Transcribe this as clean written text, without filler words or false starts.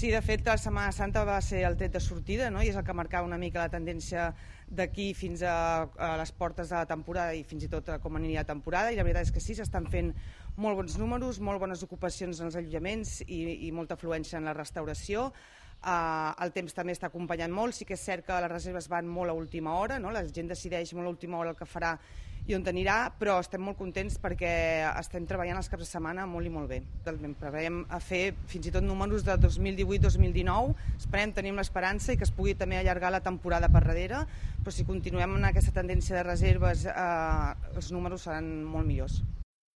Sí, de fet, la Setmana Santa va ser el tret de sortida, no? I és el que marcava una mica la tendència d'aquí fins a les portes de la temporada i fins i tot com aniria la temporada, i la veritat és que sí, s'estan fent molt bons números, molt bones ocupacions en els allotjaments i molta afluència en la restauració. El temps també està acompanyant molt, sí que és cert que les reserves van molt a última hora, no? La gent decideix molt a última hora el que farà i on anirà, però estem molt contents perquè estem treballant els caps de setmana molt i molt bé. Preveiem a fer fins i tot números de 2018-2019, esperem, tenim l'esperança i que es pugui també allargar la temporada per darrere, però si continuem en aquesta tendència de reserves els números seran molt millors.